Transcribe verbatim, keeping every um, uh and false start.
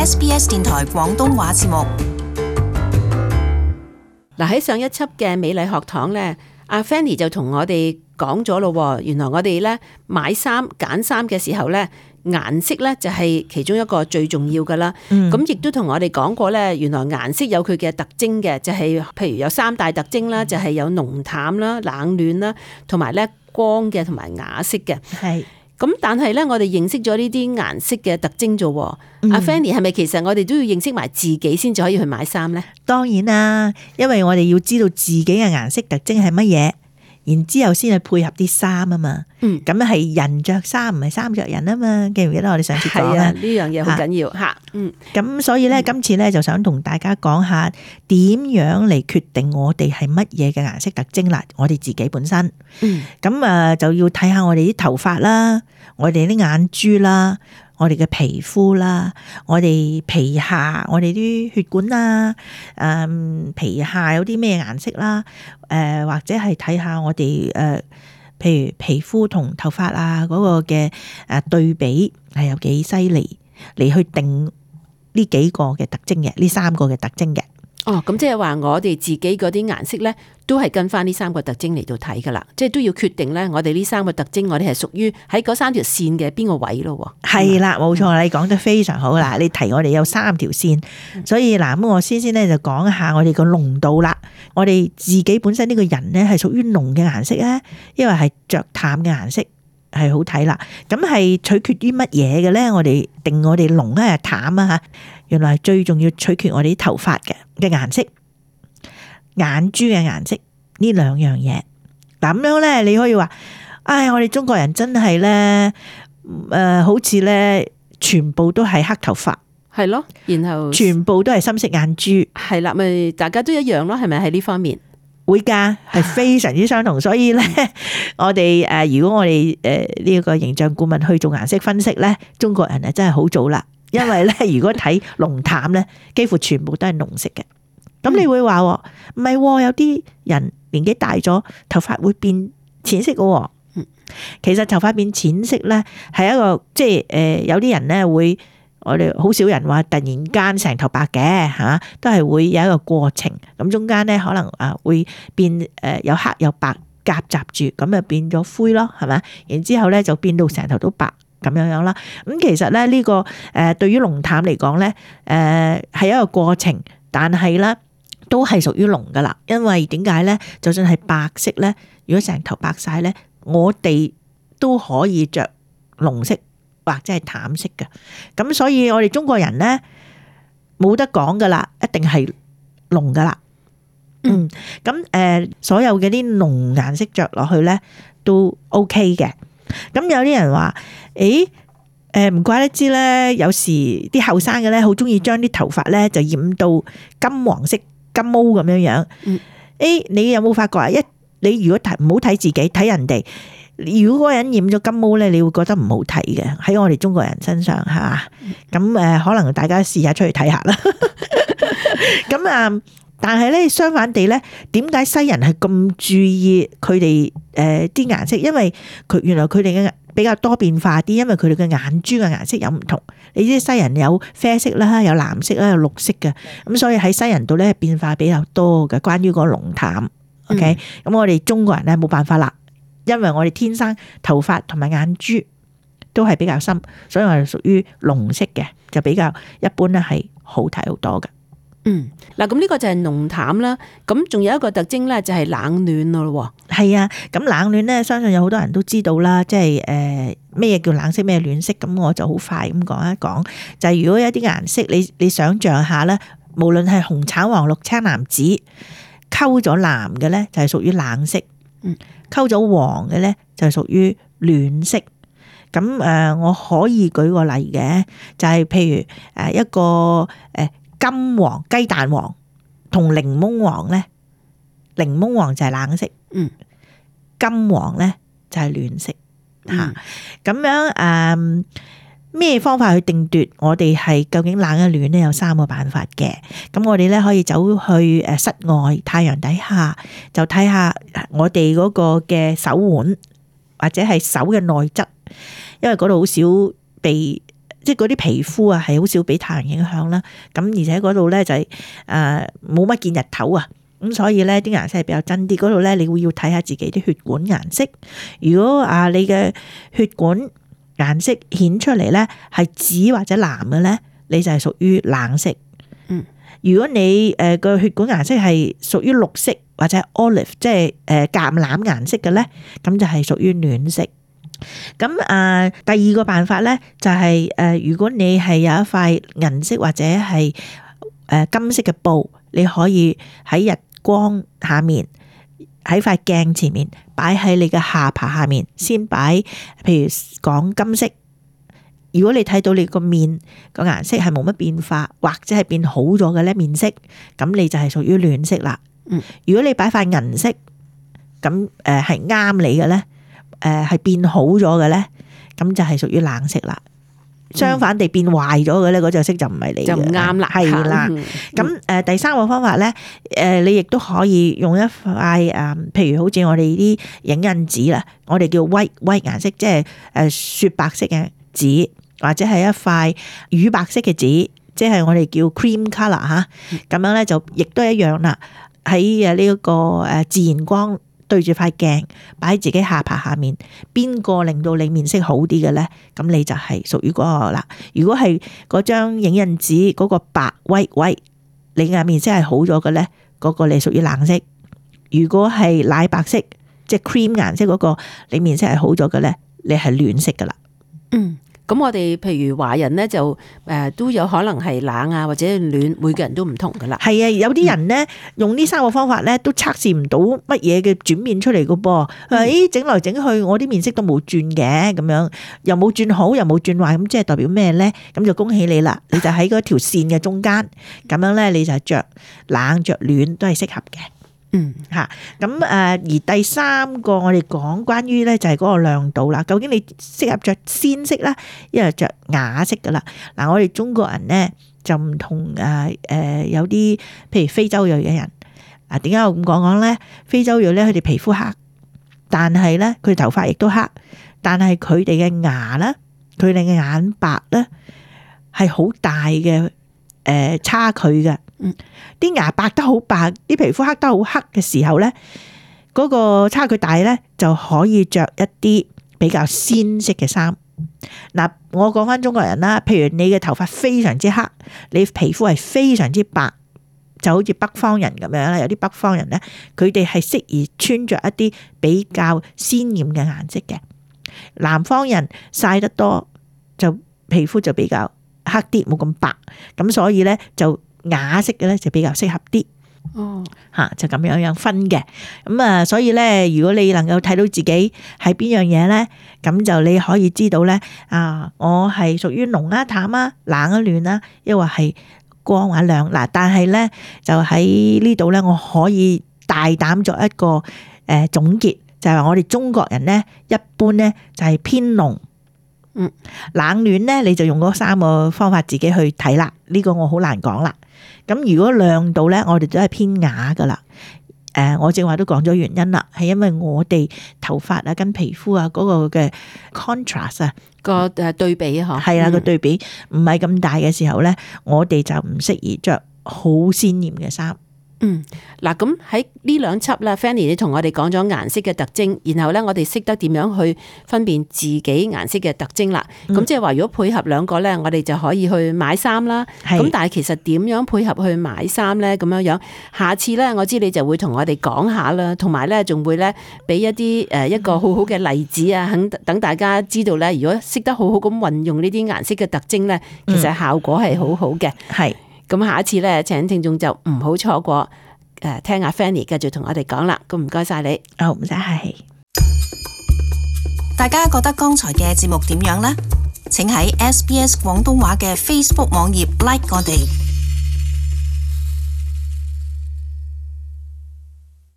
S B S 電台廣東話節目。嗱，喺上一輯嘅美麗學堂咧，阿 Fanny 就同我哋講咗咯，原來我哋咧買衫揀衫嘅時候咧，顏色咧就係其中一個最重要噶啦。咁亦都同我哋講過咧，原來顏色有佢嘅特徵嘅，就係、是、譬如有三大特徵啦，就係、是、有濃淡啦、冷暖啦，同埋咧光嘅同埋啞色嘅。係。咁但係咧，我哋認識咗呢啲顏色嘅特徵啫。阿、嗯啊、Fanny 係咪其實我哋都要認識埋自己先至可以去買衫咧？當然啦，因為我哋要知道自己嘅顏色特徵係乜嘢，然之後先去配合啲衫啊嘛。嗯，咁係人着衫唔係衫着人啊嘛。記唔記得我哋上次講啊？呢樣嘢好緊要吓。嗯，咁所以咧，今次咧就想同大家講下點樣嚟決定我哋係乜嘢嘅顏色特徵啦。我哋自己本身，嗯，咁啊就要睇下我哋啲頭髮啦，我哋啲眼珠啦，我哋嘅皮膚啦，我哋皮下，我哋啲血管啊，誒皮下有啲咩顏色啦，誒或者係睇下我哋誒，譬如皮膚同頭髮啊嗰個嘅誒對比係有幾犀利，嚟去定呢幾個嘅特徵嘅，呢三個嘅特徵嘅。哦，咁即係話我哋自己嗰啲顏色咧，都係跟翻呢三個特徵嚟到睇噶啦，即係都要決定咧，我哋呢三個特徵，我哋係屬於喺嗰三條線嘅邊個位咯。係啦，冇錯，你講得非常好啦。你提我哋有三條線，所以嗱，咁我先先咧就講下我哋個濃度啦。我哋自己本身呢個人咧係屬於濃嘅顏色咧，因為係着淡嘅顏色係好睇啦。咁係取決於乜嘢嘅咧？我哋定我哋濃咧係淡啊吓。原來最重要取決我哋啲頭髮嘅嘅顏色、眼珠嘅顏色呢兩樣嘢。嗱，咁樣咧，你可以話，唉，我哋中國人真係咧，誒、呃，好似咧，全部都係黑頭髮，係咯，然後全部都係深色眼珠，係啦，咪大家都一樣咯，係咪喺呢方面？會噶，係非常之相同。所以咧，我哋誒，如果我哋誒呢個形象顧問去做顏色分析咧，中國人啊真係好做啦。因為咧，如果睇濃淡咧，幾乎全部都係濃色嘅。咁你會話唔係，有啲人年紀大咗，頭髮會變淺色嘅。其實頭髮變淺色咧，係一個即係誒，有啲人咧會，我哋好少人話突然間成頭白嘅吓，都係會有一個過程。咁中間咧可能啊會變誒有黑有白夾雜住，咁就變咗灰咯，係咪？然之後咧就變到成頭都白。咁樣樣啦，咁其實咧呢個誒對於濃淡嚟講咧，誒係一個過程，但係咧都係屬於濃噶啦。因為點解咧？就算係白色咧，如果成頭白晒咧，我哋都可以着濃色或者係淡色嘅。咁所以我哋中國人咧冇得講噶啦，一定係濃噶啦。嗯，咁誒所有嘅啲濃顏色着落去咧都 OK 嘅。咁有啲人話，誒，誒唔怪得知咧，有時啲後生嘅咧，好中意將啲頭髮咧就染到金黃色、金毛咁樣樣。嗯，誒，你有冇發覺啊？一你如果睇唔好睇自己，睇人哋，如果嗰個人染咗金毛咧，你會覺得唔好睇嘅。喺我哋中國人身上，係嘛？咁誒，可能大家試下出去睇下啦。咁啊。但係咧，相反地咧，點解西人係咁注意佢哋誒啲顏色？因為佢原來佢哋嘅比較多變化啲，因為佢哋嘅眼珠嘅顏色有唔同。你知西人有啡色啦，有藍色啦，有綠色嘅，咁所以喺西人度咧變化比較多嘅。關於個濃淡 ，OK，咁、嗯、我哋中國人咧冇辦法啦，因為我哋天生頭髮同埋眼珠都係比較深，所以我哋屬於濃色嘅，就比較一般咧係好睇好多嘅。嗯，嗱，咁呢個就係濃淡啦，咁仲有一個特徵咧就係冷暖咯。係啊，咁冷暖咧，相信有好多人都知道啦，即係誒咩嘢叫冷色，咩暖色，咁我就好快咁講一講。就係、是、如果有啲顏色，你你想象下咧，無論係紅、橙、黃、綠、青、藍、紫，溝咗藍嘅咧就係屬於冷色，嗯，溝咗黃嘅咧就係屬於暖色。咁誒，我可以舉個例嘅，就係、是、譬如誒一個誒。金黃、雞蛋黃同檸檬黃咧，檸檬黃就係冷色，嗯，金黃咧就係暖色吓。咁、嗯、樣誒，咩、呃、方法去定奪我哋係究竟冷一暖咧？有三個辦法嘅。咁我哋咧可以走去誒室外太陽底下，就睇下我哋嗰個嘅手腕或者係手嘅內側，因為嗰度好少被即係嗰啲皮膚啊係好少俾太陽影響啦。咁而且嗰度咧就係誒冇乜見日頭啊。咁所以咧啲顏色係比較真啲。嗰度咧你會要睇下自己啲血管顏色。如果啊你嘅血管顏色顯出嚟咧係紫或者藍嘅咧，你就係屬於冷色。嗯，如果你誒個血管顏色係屬於綠色或者 olive， 即係誒橄欖顏色嘅咧，咁就係屬於暖色。咁啊，第二個辦法咧就係誒，如果你係有一塊銀色或者係誒金色嘅布，你可以喺日光下面喺塊鏡前面擺喺你嘅下巴下面，先擺，譬如講金色。如果你睇到你個面個顏色係冇乜變化，或者係變好咗嘅咧面色，咁你就係屬於暖色啦。嗯，如果你擺塊銀色，咁誒係啱你嘅咧，誒係變好咗嘅咧，咁就係屬於冷色啦。相反地變壞咗嘅咧，嗰隻色就唔係你嘅，就唔啱啦。係啦。咁誒第三個方法咧，誒你亦都可以用一塊誒，譬如好似我哋啲影印紙啦，我哋叫 white white 顏色，即係誒雪白色嘅紙，或者係一塊乳白色嘅紙，即係我哋叫 cream colour 嚇。咁樣咧就亦都一樣啦。喺誒呢一個誒自然光對住塊鏡，擺喺自己下巴下面，邊個令到你面色好啲嘅咧？咁你就係屬於嗰個啦。如果係嗰張影印紙嗰個白威威，你嘅面色係好咗嘅咧，嗰個你屬於冷色。如果係奶白色，即係 cream 顏色嗰個，你面色係好咗嘅咧，你係暖色噶啦。嗯。咁我哋譬如華人咧就誒都有可能係冷啊或者暖，每個人都唔同噶啦。係啊，有啲人咧用呢三個方法咧都測試唔到乜嘢嘅轉變出嚟噶噃。誒整來整去，我啲面色都冇轉嘅，咁樣又冇轉好又冇轉壞，咁即係代表咩咧？咁就恭喜你啦，你就喺嗰條線嘅中間，咁樣咧你就着冷着暖都係適合嘅。嗯吓，咁誒而第三個我哋講關於咧就係嗰個亮度啦。究竟你適合着鮮色啦，一係着啞色噶啦。嗱，我哋中國人咧就唔同誒誒，有啲譬如非洲裔嘅人。嗱，點解我咁講講咧？非洲裔咧，佢哋皮膚黑，但係咧佢頭髮亦都黑，但係佢哋嘅牙咧，佢哋嘅眼白咧係好大嘅誒差距嘅。嗯，啲牙白得好白，啲皮膚黑得好黑嘅時候咧，嗰個差距大咧，就可以着一啲比較鮮色嘅衫。嗱，我講翻中國人啦，譬如你嘅頭髮非常之黑，你皮膚係非常之白，就好似北方人咁樣啦。有啲北方人咧，佢哋係適宜穿着一啲比較鮮豔嘅顏色嘅。南方人曬得多，就皮膚就比較黑啲，冇咁白，咁所以咧就啞色嘅咧就比較適合啲。哦，吓就咁樣樣分嘅。咁啊，所以咧，如果你能夠睇到自己係邊樣嘢咧，咁就你可以知道咧，啊，我係屬於濃啊、淡啊、冷啊、暖啊，抑或係光或亮。嗱，但係咧就喺呢度咧，我可以大膽作一個誒總結，就係話我哋中國人咧，一般咧就係偏濃。嗯，冷暖咧，你就用嗰三個方法自己去睇啦。呢個我好難講啦。咁如果亮度咧，我哋都係偏啞噶啦。誒，我正話都講咗原因啦，係因為我哋頭髮啊跟皮膚啊嗰個嘅 contrast 啊個誒對比嗬，係啦個對比唔係咁大嘅時候咧，我哋就唔適宜着好鮮豔嘅衫。嗯，嗱，咁喺呢兩輯啦 Fanny 你同我哋講咗顏色嘅特徵，然後咧我哋識得點樣去分辨自己顏色嘅特徵啦。咁、嗯、即係話如果配合兩個咧，我哋就可以去買衫啦。咁但係其實點樣配合去買衫咧？咁樣樣，下次咧我知你就會同我哋講下啦，同埋咧仲會咧俾一啲誒一個好好嘅例子啊，肯等大家知道咧，如果識得好好咁運用呢啲顏色嘅特徵咧，其實效果係好好嘅。係、嗯。咁下一次咧，請聽眾就唔好錯過，誒，聽阿 Fanny 繼續同我哋講啦。咁唔該晒你，哦，唔使客氣。大家覺得剛才嘅節目點樣呢？請喺 S B S 廣東話嘅 Facebook 網頁 like 我哋。